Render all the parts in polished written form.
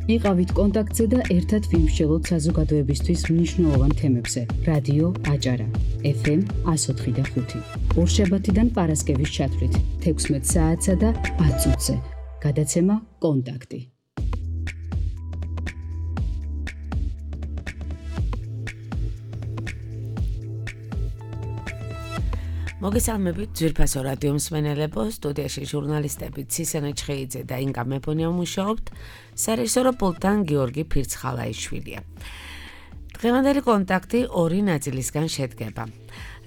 იყავით კონტაქტზე და ერთად ვიმსჯელოთ საზოგადოებისთვის მნიშვნელოვან თემებზე. რადიო აჭარა, FM 104.5. ორშაბათიდან პარასკევის ჩათვლით 16 საათსა და 10 წუთზე. გადაცემა კონტაქტი. მოგესალმებით ძვირფასო რადიო მსმენელებო, სტუდიაში ჟურნალისტები ცისენე ჩხეიძე და ინგა მეფონია მუშაობთ, სარეჟისორო პულტთან გიორგი ფირცხალაიშვილია. დღევანდელი კონტაქტი ორი ნაწილისგან შედგება.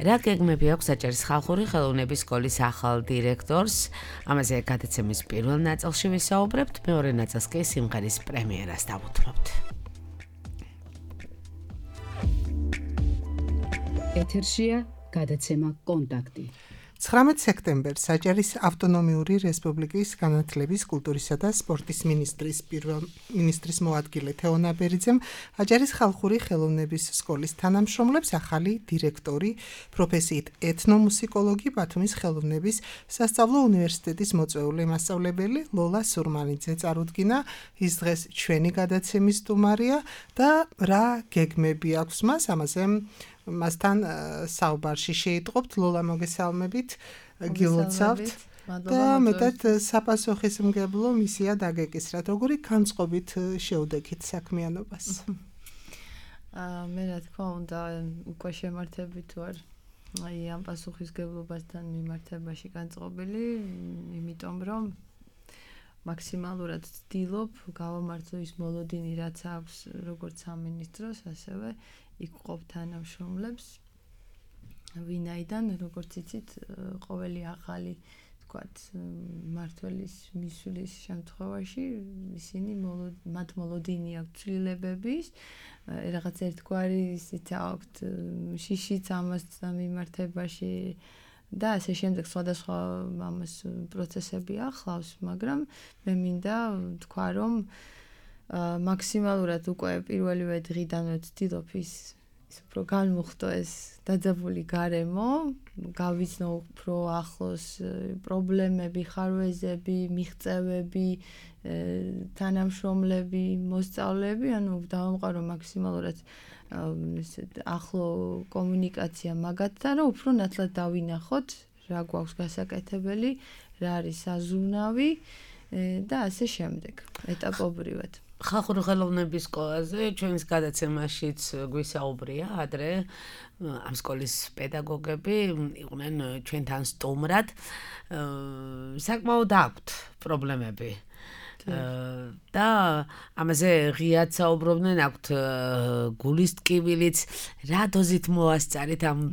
რა გეგმები აქვს აჭარის ხალხური ხელოვნების სკოლის ახალ დირექტორს, ამაზე გადაცემის პირველ ნაწილში ვისაუბრებთ, მეორე ნაწილს კი სიმღერის პრემიერას დავუთმობთ. ეთერშია გადაცემა კონტაქტი. 19 სექტემბერს აჭარის ავტონომიური რესპუბლიკის განათლების, კულტურისა და სპორტის მინისტრის მოადგილე თეონა ბერიძემ აჭარის ხალხური ხელოვნების სკოლის თანამშრომლებს ახალი დირექტორი, პროფესიით ეთნომუსიკოლოგი, ბათუმის ხელოვნების სასწავლო უნივერსიტეტის მოწვეული მასწავლებელი ლოლა სურმანიძე წარუდგინა. ის დღეს ჩვენი გადაცემის სტუმარია და რა გეგმები აქვს მას, ამაზე მასთან საუბარში შეიტყობთ. ლოლა, მოგესალმებით, გილოცავთ და მეტად საპასუხისმგებლო მისია დაგეკისრათ. როგორი განწყობით შეუდექით საქმიანობას? მე რა თქმა უნდა უკვე შემართებით ვარ ამ პასუხისმგებლობასთან მიმართებაში განწყობილი, იმიტომ რომ მაქსიმალურად ვცდილობ გავამართლო ის მოლოდინი, რაც აქვს როგორც სამინისტროს, ასევე იქ ყოფ თანამშრომლებს, ვინაიდან, როგორც იცით, ყოველი ახალი, თქვათ, მმართველის მისვლის შემთხვევაში ისინი მათ მოლოდინი აქვს ცვლილებების, რაღაც ერთგვარი ისიც აქვთ შიშიც ამასთან მიმართებაში და ასე შემდეგ სხვადასხვა ამას პროცესები ახლავს, მაგრამ მე მინდა თქვა, რომ მაქსიმალურად უკვე პირველივე დღიდანვე ვცდილობ ის უფრო განმუხტო ეს დაძაბული გარემო, გავიცნო უფრო ახლოს პრობლემები, ხარვეზები, მიღწევები, თანამშრომლები, მოსწავლეები, ანუ დავამყარო მაქსიმალურად ახლო კომუნიკაცია მაგათთან, რომ უფრო ნათლად დავინახოთ, რა გვაქვს გასაკეთებელი, რა არის საზრუნავი და ასე შემდეგ, ეტაპობრივად. ხალხური ხელოვნების სკოლაზე ჩვენს გადაცემაშიც გვისაუბრია ადრე ამ სკოლის პედაგოგები იყვნენ ჩვენთან სტუმრად. საკმაოდ აქვთ პრობლემები და ამაზე ღიად საუბრობდნენ, აქვთ გულის ტკივილიც. რა დოზით მოასწარით ამ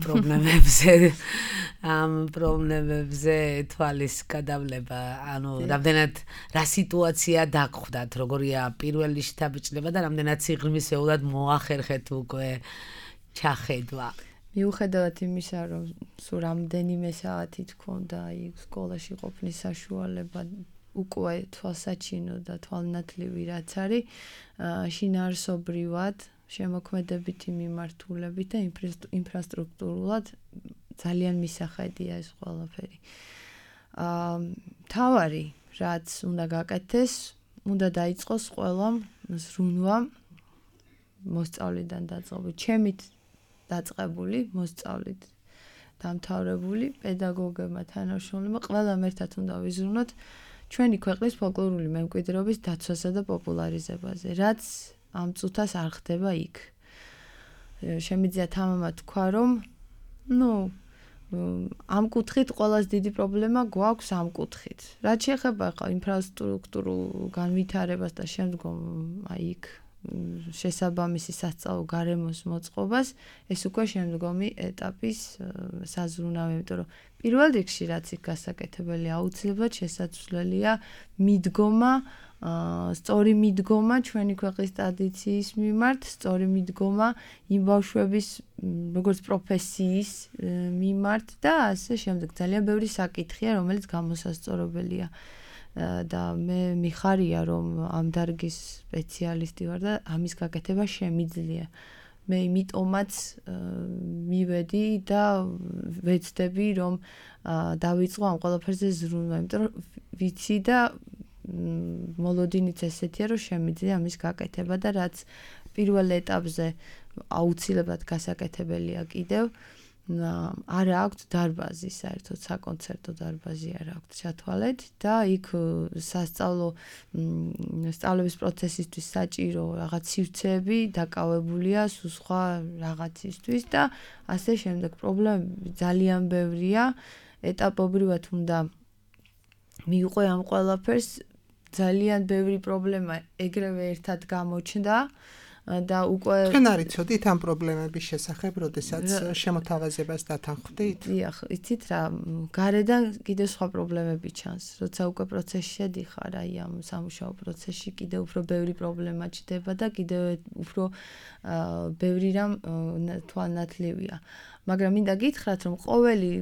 პრობლემებზე თვალის გადავლება, ანუ რამდენად რა სიტუაცია დაგხვდათ, როგორია პირველი შთაბეჭდება და რამდენად სიღრმისეულად მოახერხეთ უკვე ჩახედვა. მიუხედავად იმისა, რომ სულ რამდენიმე საათი თქონდა იქ სკოლაში ყოფნის საშუალება, უკვე თვალსაჩინო და თვალნათლივი რაც არის, შინაარსობრივად, შემოქმედებითი მიმართულებით და ინფრასტრუქტურულად ძალიან მისახედია ეს ყველაფერი. მთავარი, რაც უნდა გაკეთდეს, უნდა დაიწყოს ყველამ ზრუნვა მოსწავლიდან დაწყებული, ჩემით დაწყებული, მოსწავლით დამთავრებული, პედაგოგებმა, თანამშრომლებმა, ყველამ ერთად უნდა ვიზრუნოთ ჩვენი ქვეყნის ფოლკლორული მემკვიდრეობის დაცვასა და პოპულარიზებაზე, რაც ამ წუთას არ ხდება იქ. შემიძლია თამამად თქვა, რომ ამ კუთხით ყველაზე დიდი პრობლემა გვაქვს ამ კუთხით. რაც შეეხება ახლა ინფრასტრუქტურულ განვითარებას და შემდგომ იქ შესაბამისი სასწავლო გარემოს მოწყობას, ეს უკვე შემდგომი ეტაპის საზრუნავი, იმიტომ რომ პირველ რიგში რაც იქ გასაკეთებელი აუცილებლად შესაძლებელია მიდგომა, სწორი მიდგომა ჩვენი ქვეყნის ტრადიციის მიმართ, სწორი მიდგომა იმ ბავშვების როგორც პროფესიის მიმართ და ასე შემდეგ. ძალიან ბევრი საკითხია, რომელიც გამოსასწორებელია. და მე მიხარია, რომ ამ დარგის სპეციალისტი ვარ და ამის გაკეთება შემიძლია. მე იმიტომაც მივედი და ვეცდები, რომ დავიწყო ამ ყველაფერზე ზრუნვა, იმიტომ რომ ვიცი და მოლოდინიც ესეთია, რომ შემიძლია ამის გაკეთება და რაც პირველ ეტაპზე აუცილებლად გასაკეთებელია კიდევ არა აქვს დარბაზი, საერთოდ საკონცერტო დარბაზი არა აქვს ჩათვალეთ და იქ სწავლების პროცესისთვის საჭირო რაღაც სივრცეები დაკავებულია სხვა რაღაცისთვის და ასე შემდეგ. პრობლემები ძალიან ბევრია, ეტაპობრივად უნდა მიუყვე ამ ყველაფერს. ძალიან ბევრი პრობლემა ეგრევე ერთად გამოჩნდა და უკვე თქვენ არ იცოდით ამ პრობლემების შესახებ, როდესაც შემოთავაზებას დათანხმდით? დიახ, იცით რა, გარედან კიდევ სხვა პრობლემები ჩანს. როცა უკვე პროცესში შედიხარ, აი ამ სამუშაო პროცესში კიდევ უფრო ბევრი პრობლემა ჩდება და კიდევ უფრო ბევრი რამ თვალნათლივია. მაგრამ მინდა გითხრათ, რომ ყოველი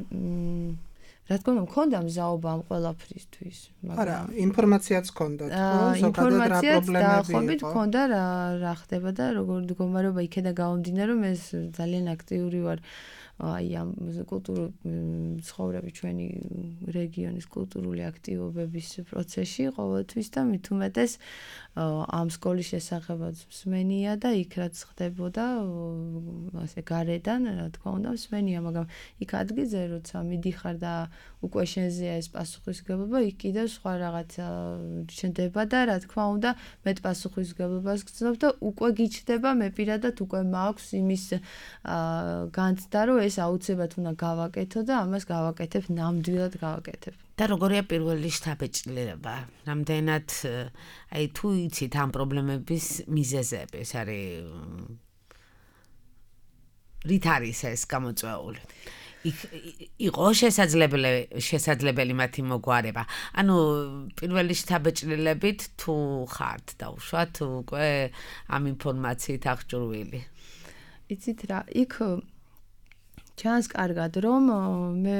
რა თქმა უნდა, მქონდა მზაობა ამ ყველაფრისთვის, არა, ინფორმაციაც ჰქონდათ, ხო? ზოგადად რა პრობლემები იყო? მქონდა რა ხდება და როგორ მდგომარეობა იქედა გამომდინარე, რომ ეს ძალიან აქტიური ვარ აი ამ კულტურული ცხოვრების ჩვენი რეგიონის კულტურული აქტივობების პროცესში ყოველთვის და მით უმეტეს ამ სკოლის შესახებაც მსმენია და იქ რაც ხდებოდა ასე გარედან რა თქმა უნდა მსმენია, მაგრამ იქ ადგილზე როცა მიდიხარ და უკვე შენზეა ეს პასუხისმგებლობა, იქ კიდევ სხვა რაღაცა ჩნდება და რა თქმა უნდა მეტ პასუხისმგებლობას გრძნობ და უკვე გიჩნდება მე პირადად უკვე მაქვს იმის განცდა რომ ეს აუცილებლად უნდა გავაკეთო და ამას გავაკეთებ, ნამდვილად გავაკეთებ. და როგორია პირველი შთაბეჭდილება? რამდენად აი თუ იცით ამ პრობლემების მიზეზები, ეს არის რით არის ეს გამოწვეული? იყო შესაძლებელი მათი მოგვარება. ანუ პირველი შთაბეჭდილებით თუ ხართ დაუშვათ უკვე ამ ინფორმაციით აღჭურვილი. იცით რა, იქ ჩანს კარგად რომ მე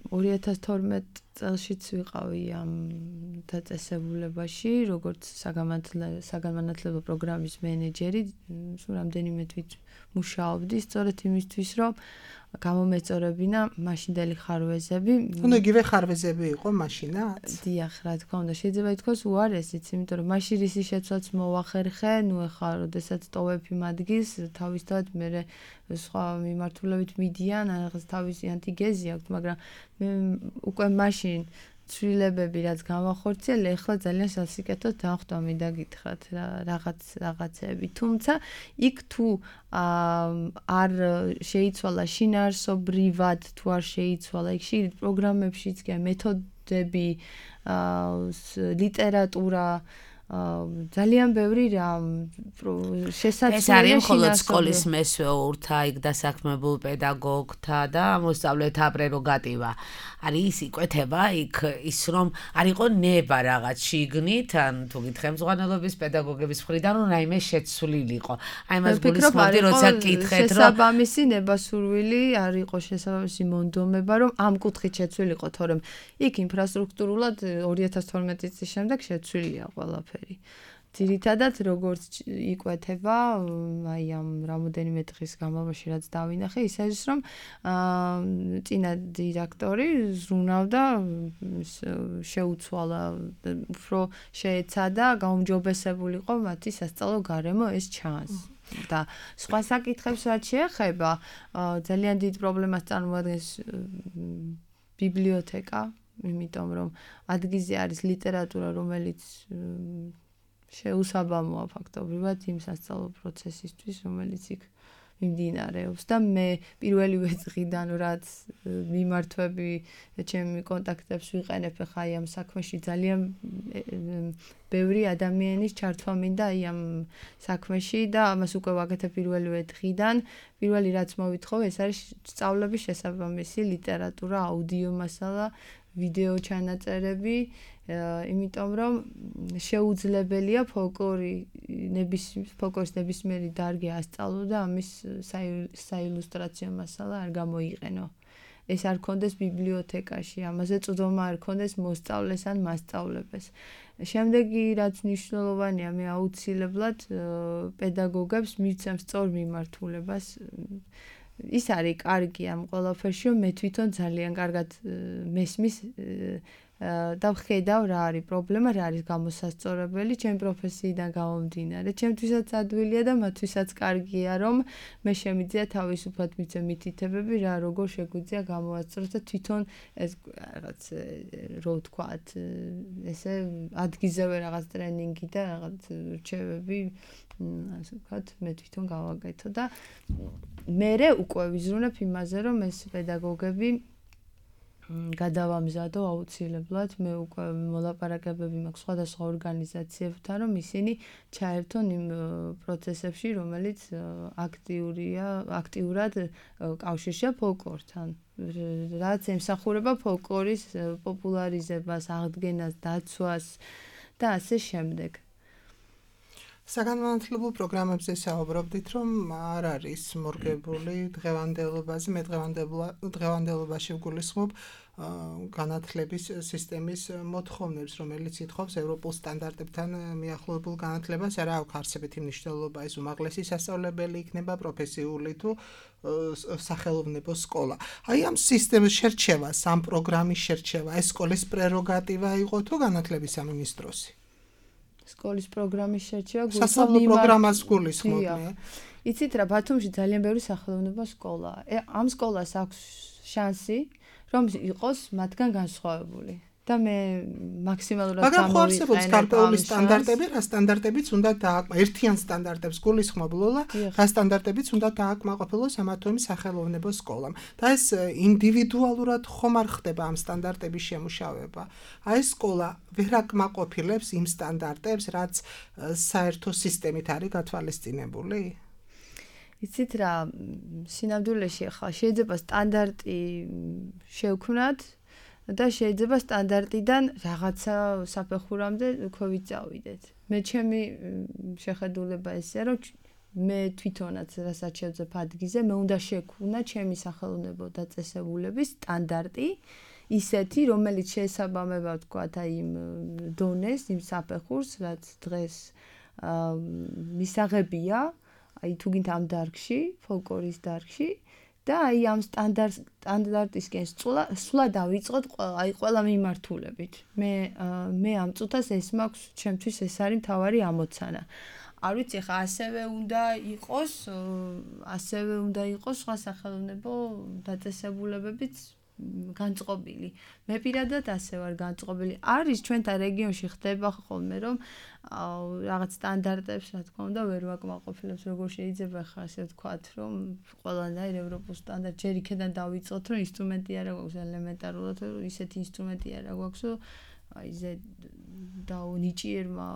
2012 წელშიც ვიყავი ამ დაწესებულებაში, როგორც საგანმანათლებლო პროგრამის მენეჯერი, რამდენიმე თვით მუშაობდი, სწორედ იმისთვის, რომ გამომეწორებინა მაშინდელი ხარვეზები. უნდა იგივე ხარვეზები იყო მაშინაც? დიახ, რა თქმა უნდა, შეიძლება ითქვას უარესიც, იმიტომ რომ მაშინ რისი შეცვლაც მოვახერხე, ნუ ეხლა როდესაც ტოვებ იმ ადგილს, თავისთავად მე სხვა მიმართულებით მიდიან, რაღაც თავისი ანტიგეზი აქვს, მაგრამ მე უკვე მაშინ ცვლილებები რაც გამახორციელე, ეხლა ძალიან სასიკეთოდ დავხვდა მინდა გითხრათ რაღაცეები. თუმცა იქ თუ არ შეიცვალა შინაარსობრივად, თუ არ შეიცვალა იქ პროგრამებშიც კი მეთოდები, ლიტერატურა ძალიან ბევრი რამ შესაძლოა ეს არის მხოლოდ სკოლის მესვეურთა, იქ დასაქმებულ პედაგოგთა და მოსწავლეთა პრეროგატივა. არის ის იკვეთება იქ ის რომ არ იყო ნება რაღაც შიგნით, ან თუ გითხე მწვანელობის პედაგოგების მხრიდან რომ რაიმე შეცვლილიყო. აი მას გულისხმობდი, როცა გითხეთ რომ შესაბამისი ნებასურვილი არ იყო შესაბამისი მონდომება, რომ ამ კუთხით შეცვლილიყო, თორემ იქ ინფრასტრუქტურულად 2012 წლის შემდეგ შეცვლილია ყველაფერი. ძირითადად როგორც იკვეთება აი ამ რამოდენიმე დღის განმავლობაში რაც დავინახე, ის არის რომ წინა დირექტორი ზრუნავდა, შეუცვალა, უფრო შეეცადა, გაუმჯობესებულიყო მათი სასწავლო გარემო, ეს ჩანს. და სხვა საკითხებს რაც შეეხება, ძალიან დიდ პრობლემას წარმოადგენს ბიბლიოთეკა, იმიტომ რომ ადგილზე არის ლიტერატურა, რომელიც შეუსაბამოა ფაქტობრივად იმ სასწავლო პროცესისთვის, რომელიც იქ მიმდინარეობს და მე პირველივე დღიდან რაც მიმართვები ჩემი კონტაქტებს ვიყენებ ხა აი ამ საქმეში ძალიან ბევრი ადამიანის ჩართვა მინდა აი ამ საქმეში და ამას უკვე ვაკეთებ პირველივე დღიდან. პირველი რაც მოვითხოვე, ეს არის სწავლების შესაბამისი ლიტერატურა, აუდიო მასალა, ვიდეო ჩანაწერები, იმიტომ რომ შეუძლებელია ფოლკლორის ნებისმიერი დარგი ასწავლო და ამის საილუსტრაციო მასალა არ გამოიყენო. ეს არ კონდეს ბიბლიოთეკაში, ამაზე წვდომა არ კონდეს მოსწავლეს ან მასწავლებელს. შემდეგი რაც მნიშვნელოვანია, მე აუცილებლად პედაგოგებს მივცემ სწორ მიმართულებას. ის არის კარგი ამ ყველაფერში, რომ მე თვითონ ძალიან კარგად მესმის და ვხედავ რა არის პრობლემა, რა არის გამოსასწორებელი ჩემი პროფესიიდან გამომდინარე. ჩემთვისაც ადვილია და მათთვისაც კარგია, რომ მე შემიძლია თავისუფლად მიცემ მითითებები, რა როგორ შეგვიძლია გამოვასწოროთ და თვითონ ეს რაღაც რო ვთქვათ, ესე ადგილზევე რაღაც ტრენინგი და რაღაც რჩევები, ასე ვთქვათ, მე თვითონ გავაკეთო და მერე უკვე ვიზრუნებ იმაზე, რომ ეს პედაგოგები გადავამზადო აუცილებლად, მე უკვე მოლაპარაკებები მაქვს სხვადასხვა ორგანიზაციებთან, რომ ისინი ჩაერთონ იმ პროცესებში, რომელიც აქტიურად კავშირშია ფოლკლორთან. რაც ემსახურება ფოლკლორის პოპულარიზებას, აღდგენას, დაცვას და ასე შემდეგ. საგანმანათლებლო პროგრამებზე საუბრობდით, რომ არ არის მორგებული დღევანდელობაზე, მე დღევანდელობაში ვგულისხმობ განათლების სისტემის მოთხოვნებს, რომელიც ითხოვს ევროპულ სტანდარტებთან მიახლოებულ განათლებას, არა აქვს არსებითი მნიშვნელობა, ეს უმაღლესი სასწავლებელი იქნება, პროფესიული თუ სახელოვნებო სკოლა. აი ამ სისტემის შერჩევა, ამ პროგრამის შერჩევა, ეს სკოლის პრეროგატივა იყო თუ განათლების სამინისტროსი? სკოლის პროგრამის შერჩევა სასწავლო პროგრამას გულისხმობ მე. იცით რა, ბათუმში ძალიან ბევრი სახელოვნებო სკოლაა. ამ სკოლას აქვს შანსი, რომ იყოს მათგან განსხვავებული. და მე მაქსიმალურად მაგრამ ხო არსებობს გარკვეული სტანდარტები, რა სტანდარტებიც უნდა დააკმაყოფილოს, ერთიან სტანდარტებს გულისხმობ ლოლა, რა სტანდარტებიც უნდა დააკმაყოფილოს ამა თუ იმ სახელოვნებო სკოლამ. და ეს ინდივიდუალურად ხომ არ ხდება ამ სტანდარტების შემუშავება. აი სკოლა ვერ აკმაყოფილებს იმ სტანდარტებს, რაც საერთო სისტემით არის გათვალისწინებული. იცით რა, სინამდვილეში ხა შეიძლება სტანდარტი შევქმნათ და შეიძლება სტანდარტიდან რაღაცა საფეხურამდე უკვე ვიწავიდეთ. მე ჩემი შეხედულება ესეა, რომ მე თვითონაც რასაც შევძებ ადგილზე, მე უნდა შექმნა ჩემი სახელოვნებო დაწესებულების სტანდარტი, ისეთი, რომელიც შეესაბამება, ვთქვათ, აი იმ დონეს, იმ საფეხურს, რაც დღეს მისაღებია, აი თუ გინდა ამ დარგში, ფოლკლორის დარგში და აი ამ სტანდარტისკენ სვლა დავიწყოთ ყველა მიმართულებით. მე ამ წუთას ეს მაქვს, ჩემთვის ეს არის მთავარი ამოცანა. არ ვიცი, ხა ასევე უნდა იყოს სხვა სახელოვნებო დაწესებულებებიც განწყობილი. მე პირადად ასე ვარ განწყობილი. არის ჩვენთან რეგიონში ხდება ხოლმე, რომ რაღაც სტანდარტებს, რა თქმა უნდა, ვერ ვაკმაყოფილებს, როგორ შეიძლება ხა ასე ვთქვათ, რომ ყველანაირ ევროპულ სტანდარტს ჯერ იქიდან დავიწყოთ, რომ ინსტრუმენტი არა გვაქვს ელემენტარულად, ისეთი ინსტრუმენტი არა გვაქვს, რომ აი ზე და ნიჭიერმა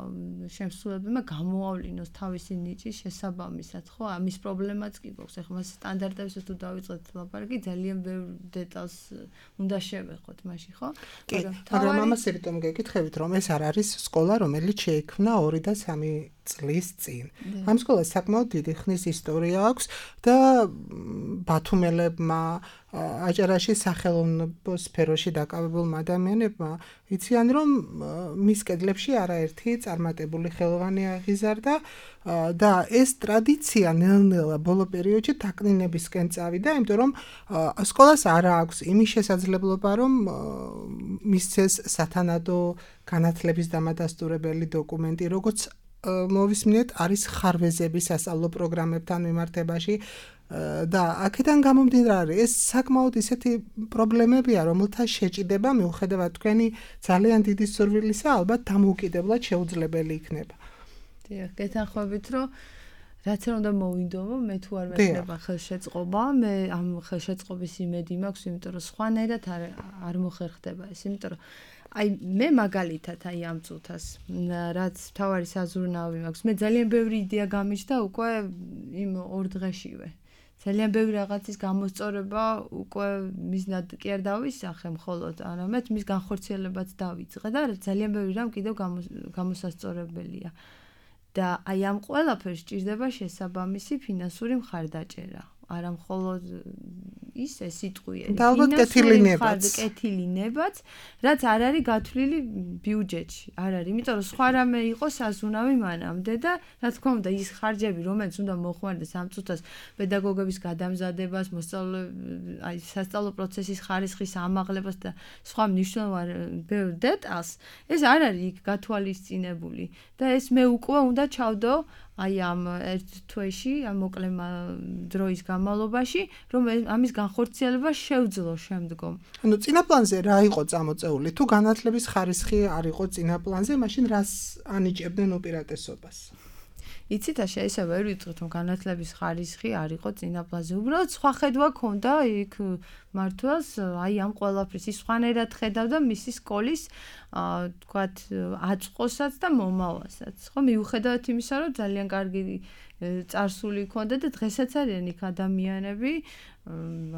შემსრულებელმა გამოავლინოს თავისი ნიჭის შესაბამისად, ხო? ამის პრობლემაც კი გვაქვს. ეხლა მას სტანდარტებს თუ დავიწყოთ ლაპარაკი, ძალიან ბევრ დეტალს უნდა შევეხოთ მაშინ, ხო? მაგრამ ამას ერთომ გეკითხებით, რომ ეს არ არის სკოლა, რომელიც შეიქმნა 2 და 3 წლის წინ. ამ სკოლას საკმაოდ დიდი ხნის ისტორია აქვს და ბათუმელებმა, აჭარაში სახელოვნებო სფეროში დაკავებულმა ადამიანებმა იციან, რომ მის კედლებში არაერთი წარმატებული ხელოვანი აღიზარდა და ეს ტრადიცია ნელ-ნელა ბოლო პერიოდში დაკნინებისკენ წავიდა, იმიტომ რომ სკოლას არ აქვს იმის შესაძლებლობა, რომ მისცეს სათანადო განათლების დამადასტურებელი დოკუმენტი, როგორც მოვისმინეთ, არის ხარვეზები სასწავლო პროგრამებთან მიმართებაში და აქედან გამომდინარე, ეს საკმაოდ ისეთი პრობლემებია, რომელთა შეჭიდება მიუხედავად თქვენი ძალიან დიდი სურვილისა, ალბათ დამოუკიდებლად შეუძლებელი იქნება. დიახ, გეთანხმებით, რომ რაც არ უნდა მოვინდომო, მე თუ არ მექნება ხელშეწყობა, მე ამ ხელშეწყობის იმედი მაქვს, იმიტომ რომ სხვანაირად არ მოხერხდება ეს, იმიტომ რომ აი მე მაგალითად აი ამ წუთას რაც თავარი საზრუნავი მაქვს, მე ძალიან ბევრი იდეა გამიჩნდა უკვე იმ 2 დღეშივე. ძალიან ბევრი რაღაცის გამოსწორება უკვე მიზნად კი არ დავისახე მხოლოდ, არამედ მის განხორციელებაც დავიწყე და ძალიან ბევრი რამ კიდევ გამოსასწორებელია. და აი ამ ყველაფერს სჭირდება შესაბამისი ფინანსური მხარდაჭერა. არა მხოლოდ ისე სიტყვიერი. და ალბათ კეთილი ნება. კეთილი ნებაც, რაც არ არის გათვლილი ბიუჯეტში. არ არის, იმიტომ რომ სხვა რამე იყოს საზუნავი მანამდე და რა თქმა უნდა ის ხარჯები, რომელიც უნდა მოხმარდეს ამ წუთას პედაგოგების გადამზადებას, აი სასწავლო პროცესის ხარისხის ამაღლებას და სხვა მნიშვნელოვან ბევრ დეტალს, ეს არ არის იქ გათვალისწინებული და ეს მე უკვე უნდა ჩავდო აი ამ ერთ თვეში, ამ მოკლე დროის განმავლობაში, რომ ამის განხორციელება შევძლო შემდგომ. ანუ წინაპლანზე რა იყო წამოწეული? თუ განათლების ხარისხი არ იყო წინაპლანზე, მაშინ რას ანიჭებდნენ უპირატესობას? იცით, შეიძლება ვერ ვიტყვით, რომ განათლების ხარისხი არ იყო წინაპლანზე. უბრალოდ სხვა ხედვა ქონდა იქ მართლაც, აი ამ ყველაფრის ის სხვანაირად ხედავდა მისი სკოლის, თქვათ, აწყოსაც და მომავალსაც. ხო, მიუხედავად იმისა, რომ ძალიან კარგი წარსული ქონდა და დღესაც არიან იქ ადამიანები,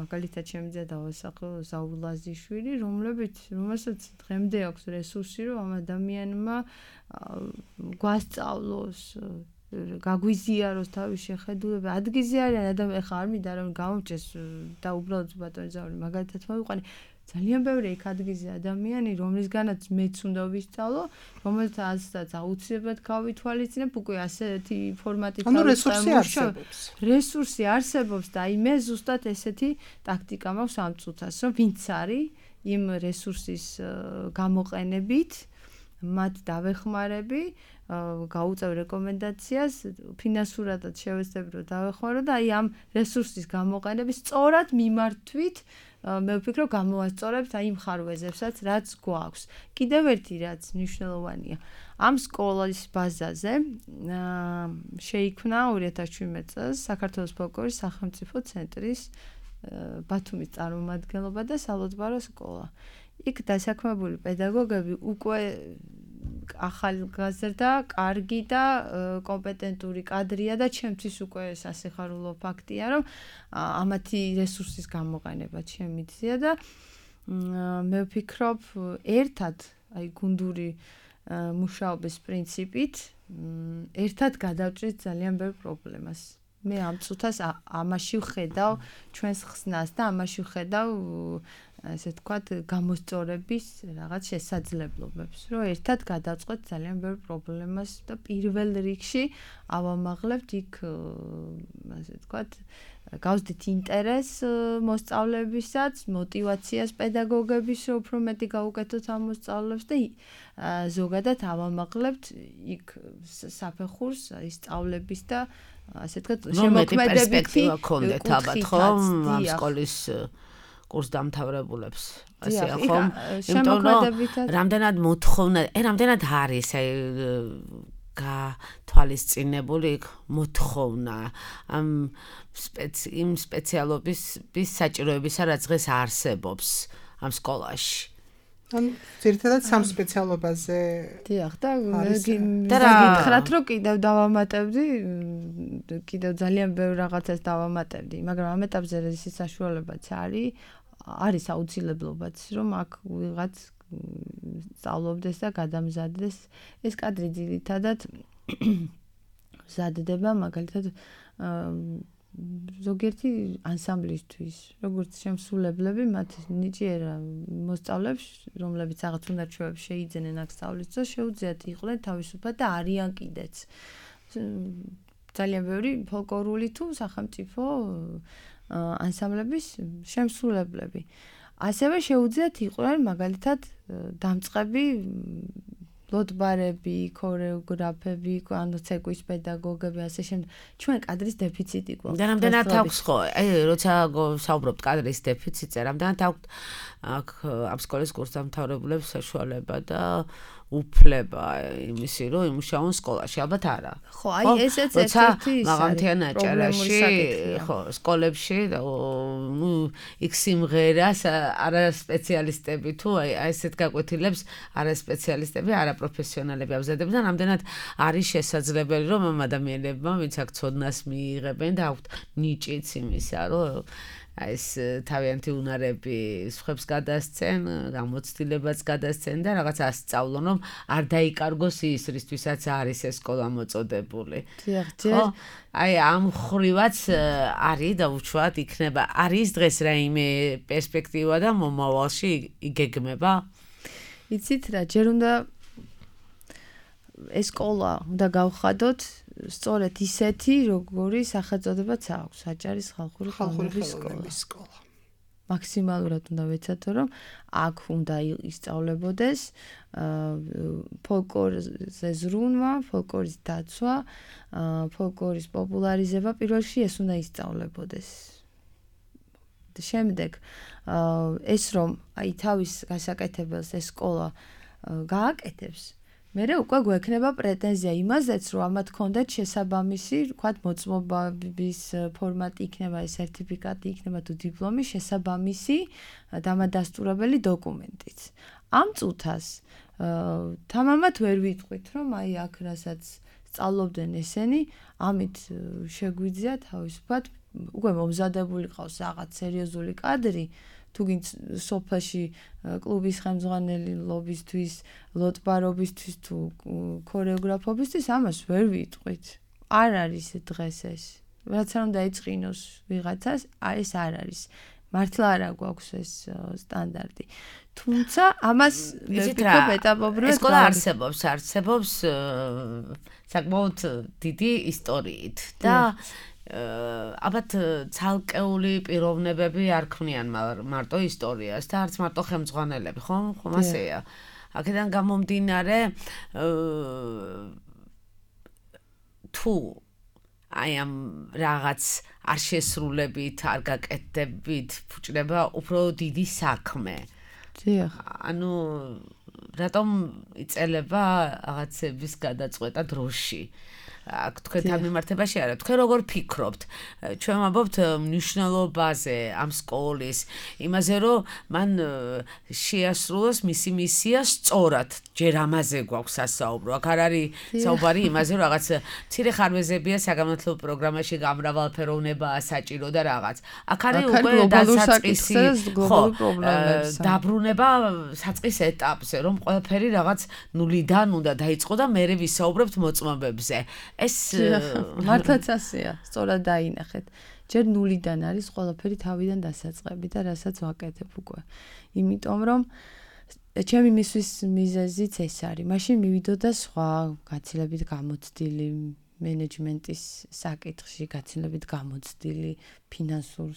მაგალითად შემიძლია დავასახო ზაულაზიშვილი, რომელსაც დღემდე აქვს რესურსი, რომ ამ ადამიანმა გვასწავლოს გაგვიზიაროს თავის შეხედულება. ადგილზე არიან ადამიანები, ხა არ მინდა რომ გამომჭეს და უბრალოდ ბატონი ზაული მაგალითად მოვიყვანე. ძალიან ბევრი იქ ადგილზე ადამიანი, რომლისგანაც მეც უნდა ვისწავლო, რომელთაც აუცილებლად გავითვალისწინებ, უკვე ასეთი ფორმატით რესურსი არსებობს და აი მე ზუსტად ესეთი ტაქტიკა მაქვს ამ წუთას, რომ ვინც არის იმ რესურსის გამოყენებით, მათ დავეხმარები, გაუწევ რეკომენდაციას, ფინანსურადაც შევეცდები რომ დავეხმარო და აი ამ რესურსის გამოყენების სწორად მიმართვით მე ვფიქრობ გამოვასწორებთ აი იმ ხარვეზებსაც, რაც გვაქვს. კიდევ ერთი რაც მნიშვნელოვანია, ამ სკოლის ბაზაზე შეიქმნა 2017 წელს საქართველოს ფოლკლორის სახელმწიფო ცენტრის ბათუმის წარმომადგენლობა და სალოცბარო სკოლა. იქ დასაქმებული პედაგოგები უკვე ახალგაზრდა, კარგი და კომპეტენტური კადრია და ჩემთვის უკვე სასიხარულო ფაქტია, რომ ამათი რესურსის გამოყენება შემიძლია და მე ვფიქრობ, ერთად აი გუნდური მუშაობის პრინციპით ერთად გადავჭრით ძალიან ბევრ პრობლემას. მე ამ წუთას ამაში ვხედავ ჩვენს ხსნას და ამაში ვხედავ ესე თქვათ გამოსწორების რაღაც შესაძლებლობებს, რომ ერთად გადავწყვეტ ძალიან ბევრ პრობლემას და პირველ რიგში ავამაღლებთ იქ ასე თქვათ გავსდით ინტერესს მოსწავლეებისაც, მოტივაციას პედაგოგების, რომ უფრო მეტი გაუკეთოთ ამ მოსწავლეებს და ზოგადად ავამაღლებთ იქ საფეხურს ისწავლების და ასე თქვათ შემოქმედებითი კონდეთ ალბათ ხომ ამ სკოლის კურსდამთავრებულებს ასე ხომ იმიტომ რომ რამდენად მოთხოვნა რამდენად არის აი გათვალისწინებული მოთხოვნა ამ იმ სპეციალობის საჭიროებისა რაც დღეს არსებობს ამ სკოლაში ან ძირითადად სამ სპეციალობაზე დიახ და გითხრათ რომ კიდევ დავამატებდი კიდევ ძალიან ბევრ რაღაცას დავამატებდი მაგრამ ამ ეტაპზე ეს საშუალებაც არის აუცილებლობაც რომ აქ ვიღაც სწავლობდეს და გადამზადდეს ეს კადრი ძირითადად მზადდება მაგალითად ზოგიერთი ანსამბლისთვის, როგორც შემსრულებლები, მათ ნიჭიერა მოსწავლეებს, რომლებიც რაღაც უნარჩვევებს შეიძენენ აქ სწავლის დროს, შეუძლიათ იყვნენ თავისუფლად და არიან კიდეც. ძალიან ბევრი ფოლკლორული თუ სახელმწიფო ანსამბლების შემსრულებლები. ასევე შეუძლიათ იყვნენ მაგალითად დამწყები ლოტბარები, ქორეოგრაფები, ანუ ცეკვის პედაგოგები, ასე შემდეგ. ჩვენ კადრის დეფიციტი გვაქვს. და რამდენად აქვს ხო? აი, როცა საუბრობთ კადრის დეფიციტზე, რამდენად აქვს აქ ამ სკოლის კურსდამთავრებულებს საშუალება და უფლება იმისი, რომ იმუშაონ სკოლაში, ალბათ არა. ხო, აი ესეც ერთ-ერთი მაღალმთიან აჭარაში, ხო, სკოლებში, ნუ იქ სიმღერას არა სპეციალისტები თუ აი ესეთ გაკვეთილებს არა სპეციალისტები, არა პროფესიონალები ამზადებენ, რამდენად არის შესაძლებელი, რომ ამ ადამიანებმა, ვინც აქ ცოდნას მიიღებენ და აქვთ ნიჭიც იმისა, რომ ეს თავიანთი უნარები სხვებს გადასცენ, გამოცდილებაც გადასცენ და რაღაც ასწავლონ, რომ არ დაიკარგოს ის, რისთვისაც არის ეს სკოლა მოწოდებული. ხო, აი ამ ხრივაც არის და უშუალოდ იქნება არის დღეს რაიმე პერსპექტივა და მომავალში იგეგმება? იცით რა, ჯერ უნდა ეს სკოლა უნდა გავხადოთ სწორედ ისეთი, როგორი სახელწოდებაც აქვს, აჭარის ხალხური ხელოვნების სკოლა. მაქსიმალურად უნდა ვეცადო, რომ აქ უნდა ისწავლებოდეს ფოლკლორზე ზრუნვა, ფოლკლორის დაცვა, ფოლკლორის პოპულარიზება, პირველ რიგში ეს უნდა ისწავლებოდეს. შემდეგ ეს რომ აი თავის გასაკეთებელს ეს სკოლა გააკეთებს, მერე უკვე გვექნება პრეტენზია იმაზეც, რომ ამათ ქონდეთ შესაბამისი, ვთქვათ, მოწმობის ფორმატი იქნება, ეს სერტიფიკატი იქნება თუ დიპლომი, შესაბამისი დამადასტურებელი დოკუმენტიც. ამ წუთას თამამად ვერ ვიტყვით, რომ აი აქ რასაც სწავლობდნენ ესენი, ამით შეგვიძლია თავისუფლად უკვე მომზადებული ყავს რაღაც სერიოზული კადრი, თუ გინც სოფელში კლუბის ხელმძღვანელობისთვის, ლოტბარობისთვის თუ ქორეოგრაფობისთვის ამას ვერ ვიტყვით. არ არის დღეს ეს. რაც არ უნდა ეწყინოს ვიღაცას, ეს არ არის. მართლა არ გვაქვს ეს სტანდარტი. თუმცა ამას ვფიქრობ ეტაპობრივად ეს სკოლა არსებობს საკმაოდ დიდი ისტორიით და ალბათ ცალკეული პიროვნებები არ ქმნიან მარტო ისტორიას და არც მარტო ხელმძღვანელები, ხომ ასეა. აქედან გამომდინარე თუ აი ამ რაღაც არ შესრულებით, არ გაკეთდებით, ფუჭდება უფრო დიდი საქმე. დიახ. ანუ რატომ იწელება რაღაცების გადაწყვეტა დროში? აქ თქვენთან მიმართებაში არა, თქვენ როგორ ფიქრობთ? ჩვენ ვამბობთ მნიშვნელობაზე ამ სკოლის, იმაზე რომ მან შეასრულოს მისი მისია სწორად, ჯერ ამაზე გვაქვს სასაუბრო. აქ არ არის საუბარი იმაზე, რომ რაღაც მცირე ხარვეზებია საგანმანათლებლო პროგრამაში გამრავალფეროვნებაა საჭირო და რაღაც. აქ არის უკვე დასაწყისი, ხო, დაბრუნება საწყის ეტაპზე, რომ ყველაფერი რაღაც ნულიდან უნდა დაიწყო და მერე ვისაუბრებთ მოწმობებზე. ეს მართლაც ასეა, სწორად დაინახეთ. ჯერ ნულიდან არის ყველაფერი თავიდან დასაწყები და რასაც ვაკეთებ უკვე. იმიტომ რომ ჩემი მისვის მიზეზიც ეს არის. მაშინ მივიდოდა სხვა გაცილებით გამოცდილი მენეჯმენტის საკითხში, გაცილებით გამოცდილი ფინანსურ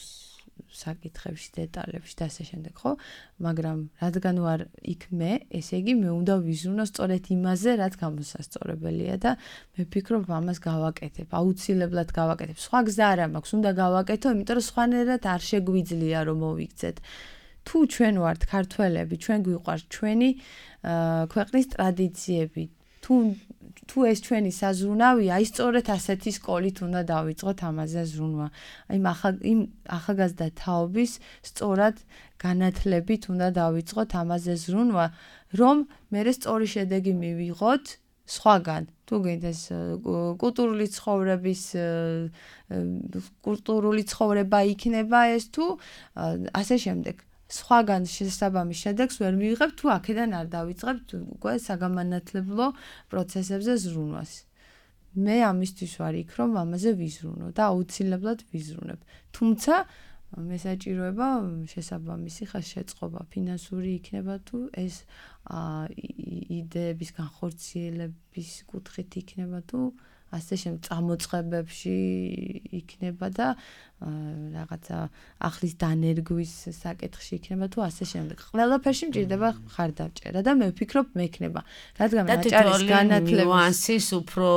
საკითხებში, დეტალებში და ასე შემდეგ, ხო? მაგრამ რადგან ვარ იქ მე, ესე იგი მე უნდა ვიზრუნო სწორედ იმაზე, რაც გამოსასწორებელია და მე ვფიქრობ ამას გავაკეთებ, აუცილებლად გავაკეთებ. სხვა გზა არ მაქვს, უნდა გავაკეთო, იმიტომ რომ სხვანაირად არ შეგვიძლია რომ მოვიქცეთ. თუ ჩვენ ვართ ქართველები, ჩვენ გვიყვარს ჩვენი ქვეყნის ტრადიციები, თუ ეს ჩვენი საზრუნავია, აი სწორედ ასეთი სკოლით უნდა დავიწყოთ ამაზე ზრუნვა. აი იმ ახალგაზრდა თაობის სწორად განათლებით უნდა დავიწყოთ ამაზე ზრუნვა, რომ მე სწორი შედეგი მივიღოთ სხვაგან. თუ გინდეს კულტურული ცხოვრება იქნება ეს თუ ასე შემდეგ. სხვაგან შესაბამის შედეგს ვერ მივიღებ, თუ აქედან არ დავიწყებთ უკვე საგამანათლებლო პროცესებზე ზრუნვას. მე ამისთვის ვარ იქ, რომ ამაზე ვიზრუნო და აუცილებლად ვიზრუნებ. თუმცა მე საჭიროება შესაბამისი ხელშეწყობა, ფინანსური იქნება თუ ეს იდეების განხორციელების კუთხით იქნება თუ ასე შემდეგ წამოწყებებში იქნება და რაღაცა ახლის დანერგვის საკითხში იქნება თუ ასე შემდეგ. ყველაფერში მჭირდება ხარდაჭერა და მე ვფიქრობ მექნება. რადგან აჭარის განათლების ნიუანსის უფრო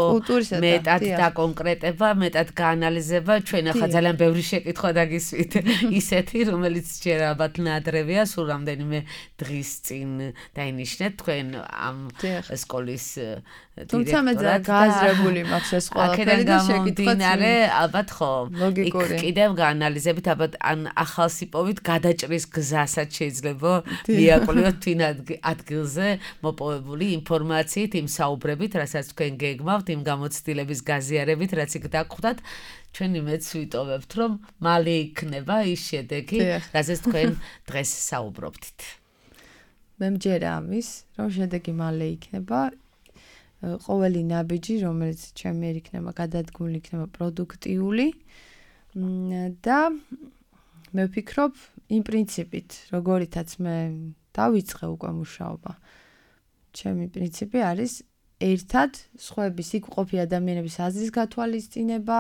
მეტად დაკონკრეტება, მეტად გაანალიზება, ჩვენ ახლა ძალიან ბევრი შეკითხვა დაგისვით. ისეთი, რომელიც ჯერ ალბათ ნადრევია, სულ რამდენიმე დღის წინ დაინიშნეთ თქვენ ამ სკოლის თუმცა მე გააზრებული მაქვს ეს ყველაფერი და შეკითხოთ ალბათ ხო კიდევ გაანალიზებით ალბათ ან ახალსიპოვით გადაჭრის გზასაც შეიძლება მიაკვლიოთ თვინ ადგილზე მოპოვებული ინფორმაციით, იმ საუბრებით, რასაც თქვენ გეგმავთ, იმ გამოცდილების გაზიარებით, რაც იქ დაგხვდათ, ჩვენი მეც ვიტოვებთ, რომ მალე იქნება ის შედეგი, რაზეც თქვენ დღეს საუბრობთ. მე მჯერა ამის, რომ შედეგი მალე იქნება. ყოველი ნაბიჯი, რომელიც ჩემი იქნება გადადგმული, იქნება პროდუქტიული და მე ვფიქრობ, იმ პრინციპით, როგორითაც მე დავიწყე უკვე მუშაობა. ჩემი პრინციპი არის ერთად სხვების იქ ყოფი ადამიანების აზრის გათვალისწინება,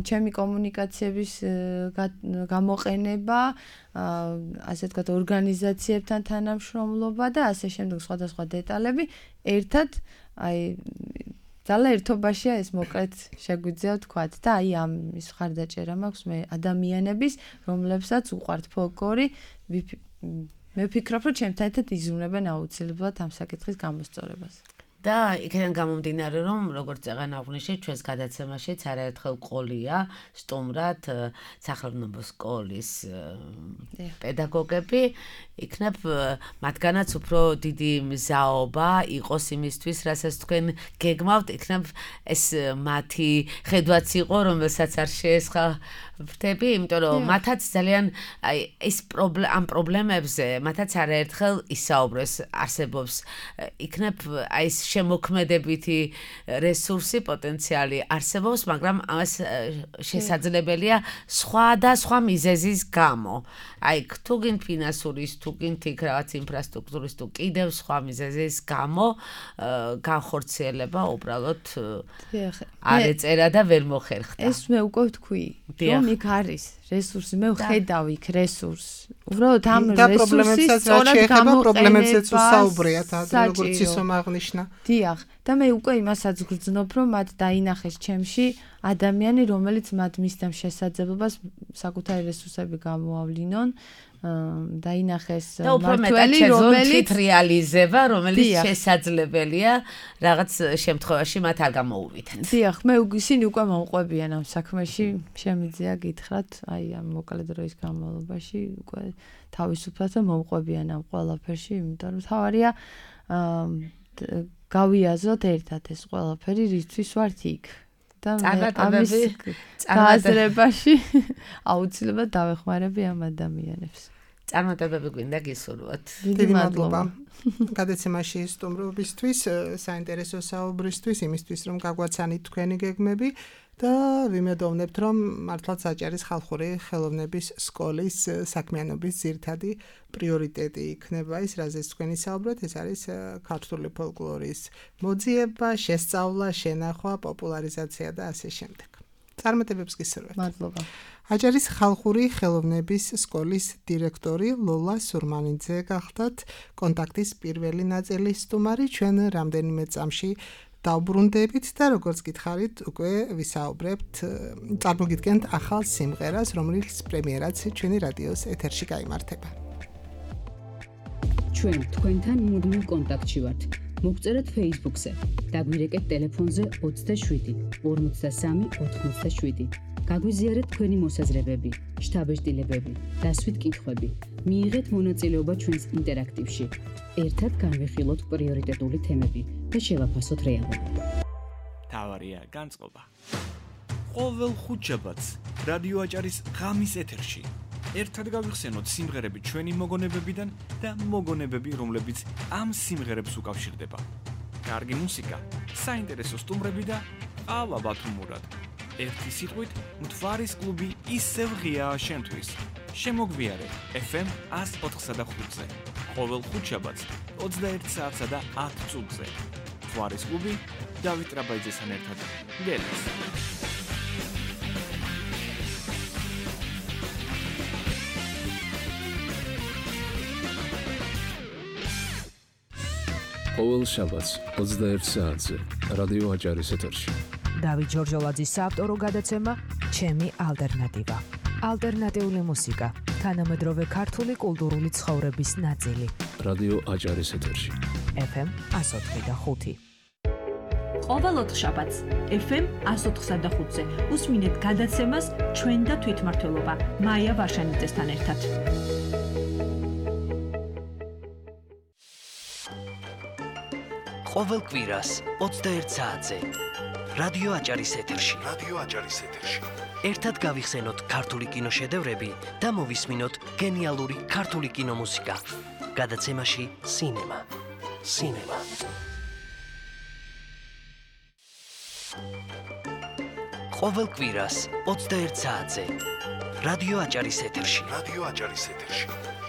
ჩემი კომუნიკაციების გამოყენება, ასე ვთქვათ, ორგანიზაციებთან თანამშრომლობა და ასე შემდეგ სხვადასხვა დეტალები ერთად ძალა ერთობაშია ეს მოკლედ შეგვიძლია ვთქვათ და ამის მხარდაჭერა მაქვს მე ადამიანების, რომლებსაც უყვართ ფოლკლორი, მე ვფიქრობ, რომ ჩემთან ერთად იზრუნებენ აუცილებლად ამ საკითხის გამოსწორებას. და იქიდან გამომდინარე, რომ როგორც წეგან აღვნიშნეთ, ჩვენს გადაცემაშიც არაერთხელ ყოლია სტუმრად სახელმწიფო სკოლის პედაგოგები, იქნებ მათგანაც უფრო დიდი მზაობა იყოს იმისთვის, რასაც თქვენ გეგმავთ, იქნებ ეს მათი ხედვაც იყო, რომელსაც არ შეესხავრდები, იმიტომ რომ მათაც ძალიან ეს ამ პრობლემებზე მათაც არაერთხელ ისაუბრეს, არსებობს იქნებ აი ეს შემოქმედებითი რესურსი, პოტენციალი არსებობს, მაგრამ ამას შესაძლებელია სხვა მიზეზის გამო. აი, თუ გინ ფინანსურის, თუ გინ იქ რაღაც ინფრასტრუქტურის, თუ კიდევ სხვა მიზეზის გამო განხორციელება უბრალოდ არ ეწერა და ვერ მოხერხდა. ეს მე უკვე ვთქვი, რომ იქ არის რესურსი, მე ვხედავ იქ რესურსს. უბრალოდ ამ რესურსის სწორად პრობლემებსაც უსაუბრიათ, როგორც ისომ აღნიშნა. დიახ, და მე უკვე იმასაც გრძნობ, რომ მათ დაინახეს ჩემში ადამიანი, რომელიც მათ მისდამ შესაძლებლობას საკუთარი რესურსები გამოავლინონ, დაინახეს მართველი, რომელიც რეალიზება, რომელიც შესაძლებელია რაღაც შემთხვევაში მათ არ გამოუვითეთ. დიახ, მე ისინი უკვე მომყვებიან ამ საქმეში, შემიძლია გითხრათ, აი ამ მოკლე დროის განმავლობაში უკვე თავისუფლად მომყვებიან ამ ყველაფერში, იმიტომ რომ თავარია გავიაზროთ ერთად ეს ყველაფერი, რისთვის ვართ იქ. და ამის გააზრებაში აუცილებლად დავეხმარები ამ ადამიანებს. წარმატებები გვინდა გისურვოთ. დიდი მადლობა. გადაცემაში სტუმრობისთვის, საინტერესო საუბრისთვის, იმისთვის რომ გაგვაცანით თქვენი გეგმები და ვიმედოვნებთ, რომ მართლაც აჭარის ხალხური ხელოვნების სკოლის საქმიანობის ძირითადი პრიორიტეტი იქნება ის, რაზეც თქვენი საუბრობთ, ეს არის ქართული ფოლკლორის მოძიება, შესწავლა, შენახვა, პოპულარიზაცია და ასე შემდეგ. წარმატებებს გისურვებთ. მადლობა. აჭარის ხალხური ხელოვნების სკოლის დირექტორი ლოლა სურმანიძე გახდათ კონტაქტის პირველი ნაწილის სტუმარი, ჩვენ რამდენიმე წამში დავბრუნდებით და როგორც გითხარით, უკვე ვისაუბრებთ, წარმოგიდგენთ ახალ სიმღერას, რომლის პრემიერაც ჩვენი რადიოს ეთერში გაიმართება. ჩვენ თქვენთან მუდმივ კონტაქტში ვართ. მოგწერეთ Facebook-ზე, დაგვირეკეთ ტელეფონზე 27 53 87. გაგვიზიარეთ თქვენი მოსაზრებები, შთაბეჭდილებები, დასვით კითხვები. მიიღეთ მონაწილეობა ჩვენს ინტერაქტივში. ერთად განვიხილოთ პრიორიტეტული თემები და შევაფასოთ რეალობა. თავარია განწყობა. ყოველ ხუთშაბათს რადიო აჭარის ღამის ეთერში. ერთად გავიხსენოთ სიმღერები ჩვენი მოგონებებიდან და მოგონებები, რომლებიც ამ სიმღერებს უკავშირდება. კარგი მუსიკა, საინტერესო სტუმრები და ყავა ბათუმურად. ერთი სიტყვით, მთვარის კლუბი ისევ ღიაა შენთვის. შემოგვიარე FM 104.5-ზე. ყოველ ხუთშაბათს 21 საათსა და 10 წუთზე. მთვარის კლუბი დავით რაბაიძესთან ერთად. გელს. ყოველ შაბათს 21 საათზე რადიო აჭარის ეთერში. დავით ჯორჯოლაძის საავტორო გადაცემა ჩემი ალტერნატივა. ალტერნატიული მუსიკა, თანამედროვე ქართული კულტურული ცხოვრების ნაწილი. რადიო აჭარის ეთერში. FM 104.5. ყოველ ოთხშაბათს FM 104.5-ზე უსმინეთ გადაცემას ჩვენ და თვითმმართველობა მაია ვარშანიძესთან ერთად. ყოველ კვირას 21 საათზე რადიო აჭარის ეთერში. ერთად გავიხსენოთ ქართული კინოშედევრები და მოვისმინოთ გენიალური ქართული კინომუსიკა. გადაცემაში სინემა. ყოველ კვირას 21 საათზე რადიო აჭარის ეთერში.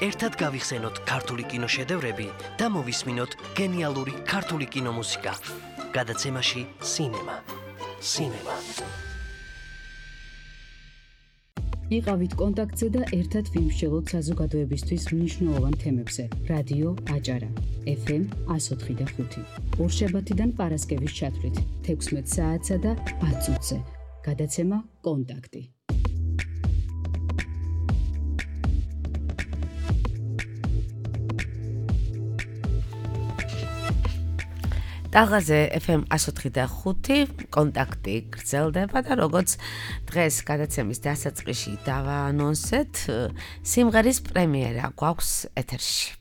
ერთად გავიხსენოთ ქართული კინოშედევრები და მოვისმინოთ გენიალური ქართული კინომუსიკა. გადაცემაში სინემა. იყავით კონტაქტზე და ერთად ვიმსჯელოთ საზოგადოებისთვის მნიშვნელოვან თემებზე. რადიო აჭარა FM 104.5. ორშაბათიდან პარასკევის ჩათვლით 16 საათსა და 10 წუთზე. გადაცემა კონტაქტი. დაღაზე FM 104.5 კონტაქტი გრძელდება და როგორც დღეს გადაცემის დასაწყისში დავაანონსეთ, სიმღერის პრემიერა გვაქვს ეთერში.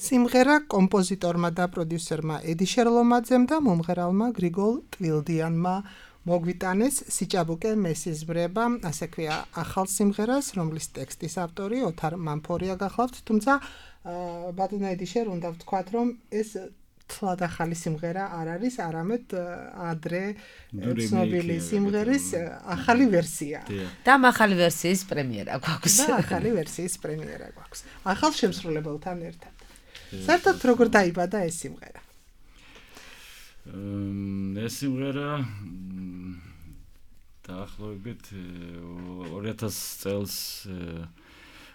სიმღერა კომპოზიტორმა და პროდიუსერმა ედი შერლომაძემ და მომღერალმა გრიგოლ ტვილდიანმა მოგვიტანეს სიჭაბუკე მესიზმრება, ასე ქვია ახალ სიმღერას, რომლის ტექსტის ავტორი ოთარ მამფორია გახლავთ, თუმცა ბატონო ედი შერ უნდა ვთქვათ, რომ ეს თლად ახალი სიმღერა არ არის, არამედ ადრე ცნობილი სიმღერის ახალი ვერსია. და ახალი ვერსიის პრემიერა გვაქვს. ახალ შემსრულებელთან ერთად. საერთოდ როგორ დაიბადა ეს სიმღერა? ეს სიმღერა დაახლოებით 2000 წელს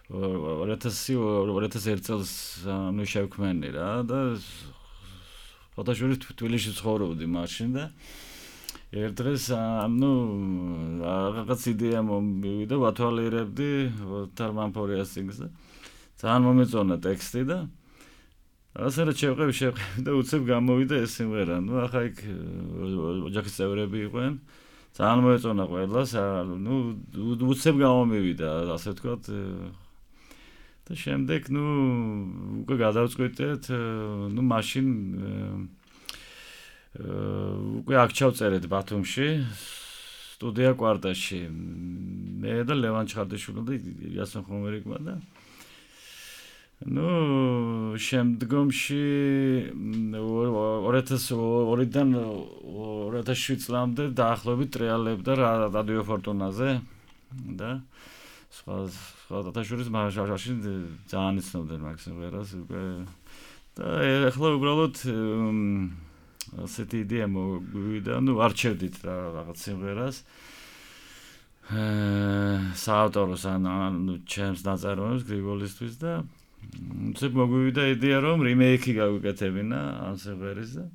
2001 წელს შევქმენი რა და ფოტოშურის თბილისში ცხოვრობდი მაშინ და ერთ დღეს რაღაც იდეა მომივიდა, ვათვალიერებდი ოთარ მამფორიას სინგლს და ძალიან მომეწონა ტექსტი და ასე რა შევყევი და უცებ გამოვიდა ეს სიმღერა. ახლა იქ ოჯახის წევრები იყვნენ, ძალიან მოეწონა ყველას, უცებ გამომივიდა, ასე ვთქვათ. და შემდეგ უკვე გადავწყვიტეთ, მაშინ უკვე აქ ჩავწერეთ ბათუმში, სტუდია კვარტაში. მე და ლევან ჩხარდაშვილი და იასონ ხომერიკმა და შემდგომში 2002-დან 2007 წლამდე დაახლოებით ტრიალებდა რადიო ფორტუნაზე და სხვა დათაშურის მაშინ ძალიან იცნობდნენ მაგ სიმღერას და ახლა უბრალოდ ასეთი იდეა მოვიდა, არჩევდით რაღაც სიმღერას საავტოროს ჩემს ნაწარმოებს გრიგოლისთვის და უცებ მოგვივიდა იდეა რომ რიმეიკი გავიკეთებინა ამ სიმღერის და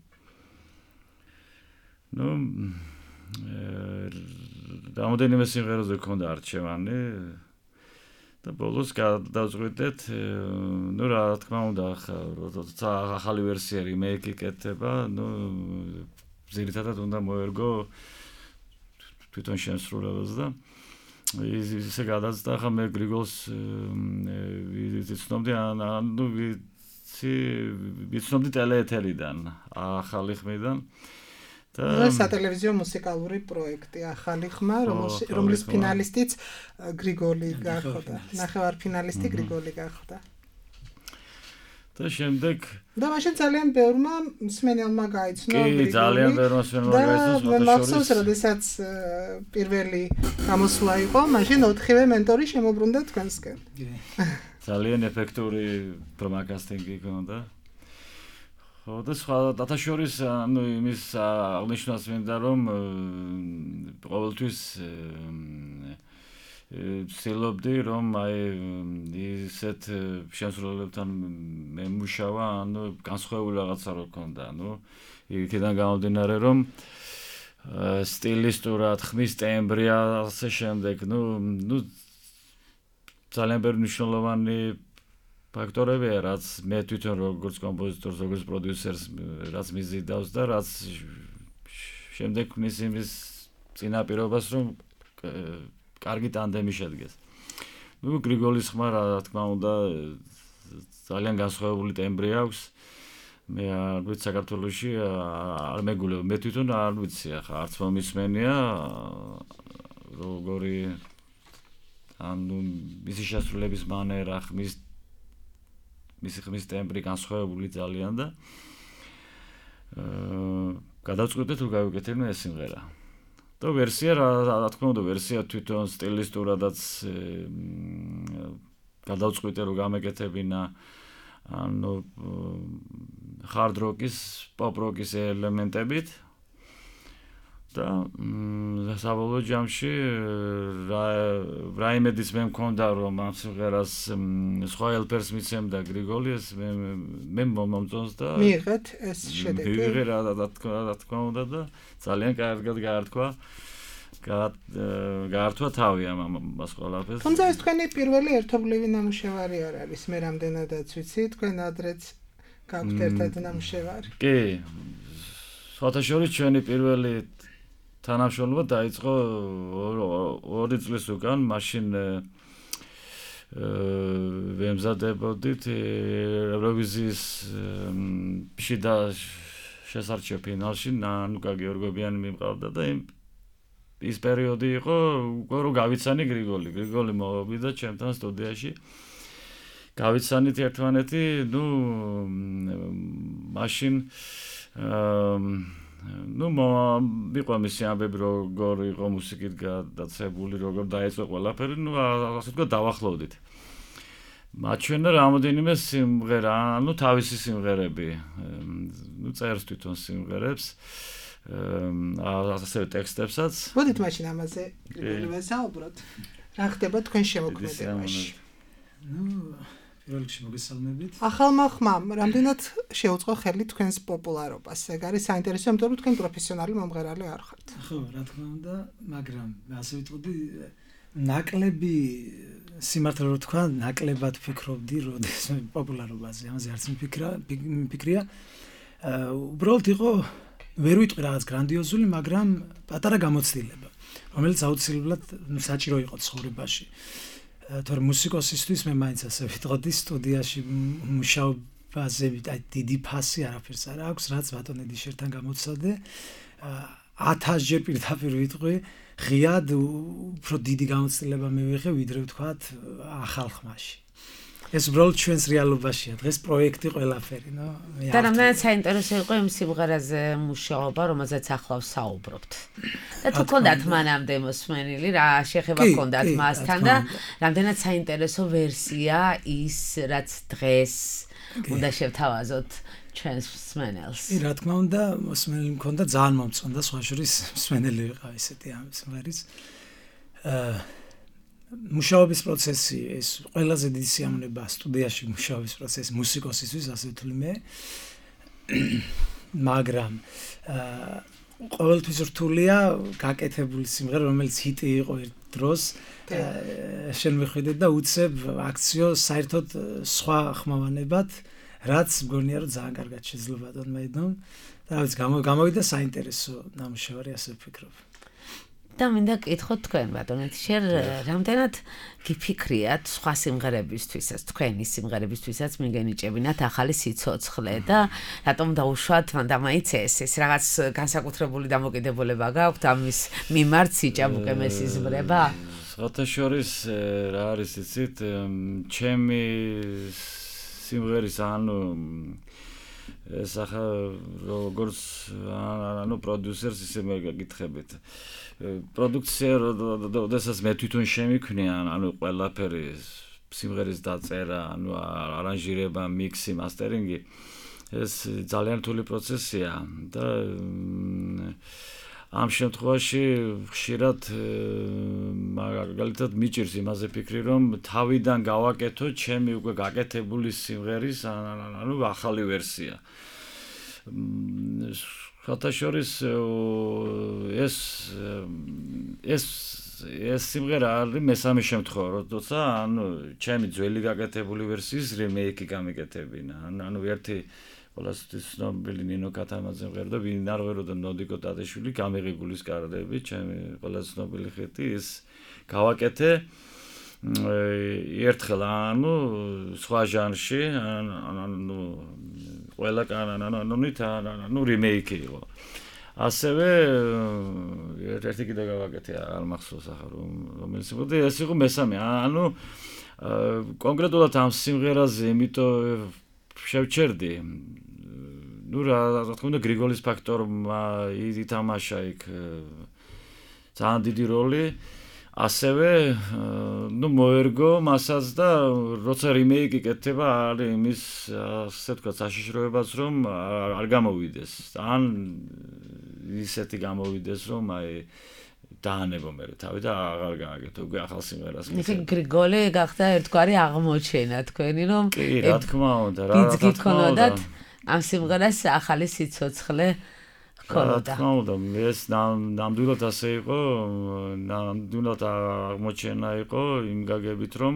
რამოდენიმე სიმღერაზე გქონდა არჩევანი და ბოლოს გადავწყვიტეთ, რა თქმა უნდა, როცა ახალი ვერსია რიმეიკი კეთდება, ძირითადად უნდა მოერგო თვითონ შემსრულებელს და ისე გადაცდა, ახლა მე გრიგოლს ვიცნობდი, ვიცნობდი ტელეეთერიდან, ახალი ხმიდან. ეს სატელევიზიო მუსიკალური პროექტი ახალი ხმა, რომლის ფინალისტიც გრიგოლი გახდა. ნახევარფინალისტი გრიგოლი გახდა. და შემდეგ და მაშინ ძალიან ბევრმა მსმენელმა გაიცნო გრიგოლი. კი, ძალიან ბევრმა მსმენელმა გაიცნო. მახსოვს, როდესაც პირველი გამოსვლა იყო, მაშინ 4-ვე მენტორი შემოbrunდა თქვენსკენ. ძალიან ეფექტური პრომაკასტინგი ჰქონდა. და სხვა დათაშორის იმის აღნიშნავს მინდა რომ ყოველთვის ვცდილობდი რომ ისეთ შემსრულებლებთან მემუშავა, განსხვავებული რაღაცა რო ქონდა, იქიდან გამომდინარე რომ სტილისტურად ხმის ტემბრი ასე შემდეგ, ძალიან ბევრი მნიშვნელოვანი ფაქტორებია, რაც მე თვითონ როგორც კომპოზიტორს, როგორც პროდიუსერს, რაც მიზიდავს და რაც შემდეგ ქმნის იმის წინაპირობას, რომ კარგი ტანდემი შედგეს. ნუ გრიგოლის ხმა რა თქმა უნდა ძალიან განსხვავებული ტემბრი აქვს. მე არ ვიცი საქართველოში არ მეგულებ, მე თვითონ არ ვიცი ახლა არც მომისმენია როგორი ანუ მისი შესრულების მანერა მისი ხმის ტემბრი განსხვავებული ძალიან და გადავწყვიტეთ რომ გავიკეთებინო ეს სიმღერა. და ვერსია რა თქმა უნდა ვერსია თვითონ სტილისტურადაც გადავწყვიტე რომ გამეკეთებინა ანუ hard rock-ის, pop rock-ის ელემენტებით და საბოლოო ჯამში რაიმედის მე მქონდა რომ ამ სიმღერას სხვა ელფერს მიცემდა გრიგოლი ეს მე მომწონს და მიიღეთ ეს შედეგი. მიიღე რა თქმა უნდა და ძალიან კარგად გაართვა თავი ამას ყველაფერს. თუმცა ეს თქვენი პირველი ერთობლივი ნამუშევარი არ არის. მე რამდენადაც ვიცი, თქვენ ადრეც გაქვთ ერთად ნამუშევარი. კი. საერთაშორისო ჩვენი პირველი თანამშრომლობა დაიწყო 2 წლის უკან, მაშინ ვემზადებოდით ევროვიზიის შიდა შესარჩევ ფინალში ნანუკა გეორგობიანი მიმყავდა და ის პერიოდი იყო უკვე რომ გავიცანი გრიგოლი მოვიდა ჩემთან სტუდიაში გავიცანით ერთმანეთი ნუ მაშინ ნუ მიყვა მისი ამბები როგორ იყო მუსიკით გადაცებული როგორ დაიწყო ყველაფერი ნუ ასე თქვა დავახლოვდით მაჩვენა რამოდენიმე სიმღერა ნუ თავისი სიმღერები ნუ წერს თვითონ სიმღერებს ასე ტექსტებსაც. მოდით მაშინ ამაზე ვესაუბროთ. რა ხდება თქვენ შემოქმედებაში? ნუ პირველ რიგში მოგესალმებით. ახალმა ხმამ რამდენად შეუწყო ხელი თქვენს პოპულარობას? ეგ არის საინტერესო, იმიტომ რომ თქვენ პროფესიონალი მომღერალი არ ხართ. ხო, რა თქმა უნდა, მაგრამ ასე ვიტყოდი, ნაკლები სიმართლე რო თქვა, ნაკლებად ფიქრობდი, როდესაც პოპულარობაზე, ამაზე არც მიფიქრია. უბრალოდ იყო ვერ ვიტყვი რაღაც გრანდიოზული, მაგრამ პატარა გამოცდილება, რომელიც აუცილებლად საჭირო იყო ცხოვრებაში. თორემ მუსიკოსისთვის მე მაინც ასე ვიტყოდი სტუდიაში მუშაობაზე დიდი ფასი არაფერს არ აქვს, რაც ბატონ ედიშერთან გამოცადე 1000 ჯერ პირდაპირ ვიტყვი, ღიად უფრო დიდი გამოცდილება მივიღე, ვიდრე ვთქვათ ახალ ხმაში. ეს უბრალოდ ჩვენს რეალობაშია. დღეს პროექტი ყველაფერი, ნო? და რამდენად საინტერესო იყო იმ სიმღერაზე მუშაობა, რომელზეც ახლა ვსაუბრობთ. და თუ გქონდათ მანამდე მოსმენილი, რა შეხება გქონდათ მასთან და რამდენად საინტერესო ვერსია ის, რაც დღეს უნდა შევთავაზოთ ჩვენს მსმენელს. რა თქმა უნდა, მოსმენელი მქონდა ძალიან მომწონდა, სხვა შორის მსმენელი ვიყავ ესეთი ამ სიმღერის. მუშაობის პროცესი ეს ყველაზე დიდი სიამოვნება სტუდიაში მუშაობის პროცესი მუსიკოსისთვის ასე ვთვლი მე მაგრამ ყოველთვის რთულია გაკეთებული სიმღერა რომელიც ჰიტი იყო ერთ დროს შენ მიხვიდე და უცებ აქციო საერთოდ სხვა ხმოვანებად რაც მგონია რომ ძალიან კარგად შეძლო ბატონ მეიდნომ და რა ვიცი გამოვიდა საინტერესო ნამუშევარი ასე ვფიქრობ და მინდა გკითხოთ თქვენ ბატონეთ შენ რამდენად გიფიქრიათ სხვა სიმღერებისთვისაც თქვენი სიმღერებისთვისაც მიგენიჭებინათ ახალი სიცოცხლე და რატომ დაუშვათ მანდამაიც ეს რაღაც განსაკუთრებული დამოკიდებულება გაქვთ ამის მიმართ სიჭაბუკე მესიზმრება საერთაშორის რა არის იცით ჩემი სიმღერის ანუ ეს ახლა როგორც ანუ პროდიუსერს ისე მე გაკითხებით პროდუქცია როდესაც მე თვითონ შემიქმნია ანუ ყველაფერი სიმღერის დაწერა ანუ არანჟირება მიქსი მასტერინგი ეს ძალიან რთული პროცესია და ამ შემთხვევაში ხშირად მაგალითად მიჭირს იმაზე ფიქრი რომ თავიდან გავაკეთო ჩემი უკვე გაკეთებული სიმღერის ანუ ახალი ვერსია ხათაშორის ეს სიმღერა არის მესამე შემთხვევა როცა ანუ ჩემი ძველი გაკეთებული ვერსიის რემეიკი გამეკეთებინა ანუ ერთი ყველასთვის ცნობილი ნინო კათამაძე მღეროდა, ვინ არ მღეროდა ნოდიკო ტატიშვილი, გამიღებულის კარდები, ჩემი ყველა ცნობილი ხეთი ის გავაკეთე ერთხელ ანუ სხვა ჟანრში, ანუ ყველა კანონით ანუ რიმეიკი იყო. ასევე ერთი კიდე გავაკეთე, არ მახსოვს ახლა რომელიც იყო და ეს იყო მესამე. ანუ კონკრეტულად ამ სიმღერაზე იმიტომ შევჩერდი. ნუ რა თქმა უნდა გრიგოლის ფაქტორმა ითამაშა იქ ძალიან დიდი როლი. ასევე ნუ მოერგო მასაც და როცა რიმეიკი კეთდება არის იმის ასე ვთქვათ საშიშროებაც რომ არ გამოვიდეს. ან ისეთი გამოვიდეს რომ აი დაანებო მე თავი და აღარ გააკეთო უკვე ახალ სიმღერას. ისე გრიგოლი გახდა ერთგვარი აღმოჩენა თქვენი რომ კი რა თქმა უნდა რა გიქონოდათ ამ სიმღერას ახალი სიცოცხლე რა თქმა უნდა ეს ნამდვილად ასე იყო ნამდვილად აღმოჩენა იყო იმ გაგებით რომ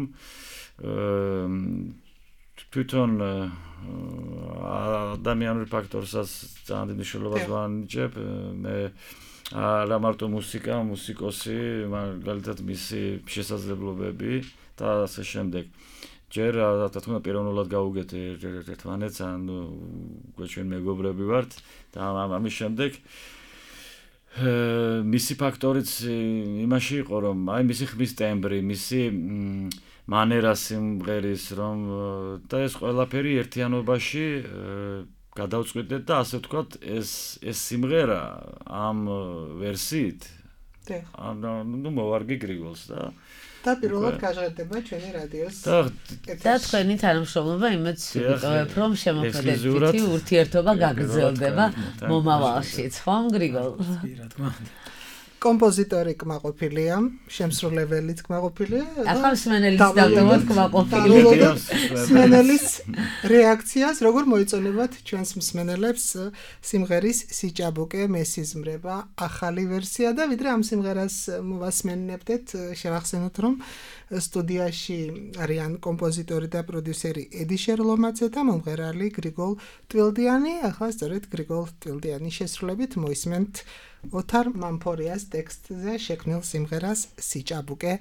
თვითონ ადამიანური ფაქტორსაც ძალიან დიდი მნიშვნელობას ვანიჭებ მე არა მარტო მუსიკა, მუსიკოსი, მაგალითად მისი შესაძლებლობები და ასე შემდეგ. ჯერ რა თქმა უნდა პიროვნულად გავუგეთე ერთმანეთს, ანუ ჩვენ მეგობრები ვართ და ამის შემდეგ მისი ფაქტორიც იმაში იყო რომ აი მისი ხმის ტემბრი, მისი მანერა სიმღერის რომ და ეს ყველაფერი ერთიანობაში გადავწყვიტეთ და ასე ვთქვათ ეს სიმღერა ამ ვერსიით ანუ მოვარგი გრიგოლს და პირველად გაჟღერდება ჩვენი რადიოს და თქვენი თანამშრომლობა იმეც ვიტოვებ რომ შემოქმედებითი ურთიერთობა გაგრძელდება მომავალშიც ხომ გრიგოლ? რა თქმა უნდა კომპოზიტორი კმაყოფილია, შემსრულებელიც კმაყოფილია. ახლა მსმენელის დავდოთ კმაყოფილია. მსმენელის რეაქციას როგორ მოიწონებათ ჩვენს მსმენელებს სიმღერის სიჭაბუკე მესიზმრება ახალი ვერსია და ვიდრე ამ სიმღერას მოვასმენებდეთ, შევახსენოთ რომ სტუდიაში არიან კომპოზიტორი და პროდიუსერი ედი შერლომაძე და მომღერალი გრიგოლ ტვილდიანი. ახლა სწორედ გრიგოლ ტვილდიანის შესრულებით მოისმენთ ოთარ მამფორიას ტექსტზე შექმნილ სიმღერას სიჭაბუკე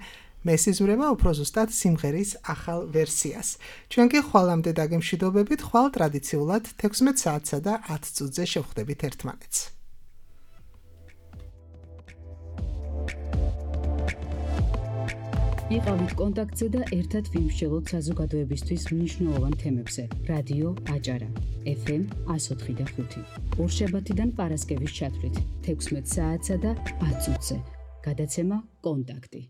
მესიზმრება უფრო ზუსტად სიმღერის ახალ ვერსიას. ჩვენ კი ხვალამდე დაგემშვიდობებით, ხვალ ტრადიციულად 16 საათსა და 10 წუთზე შევხვდებით ერთმანეთს. იყავით კონტაქტზე და ერთად ვიმსჯელოთ საზოგადოებისთვის მნიშვნელოვან თემებზე. რადიო აჭარა FM 104.5 ორშაბათიდან პარასკევის ჩათვლით 16 საათსა და 10 წუთზე. გადაცემა კონტაქტი.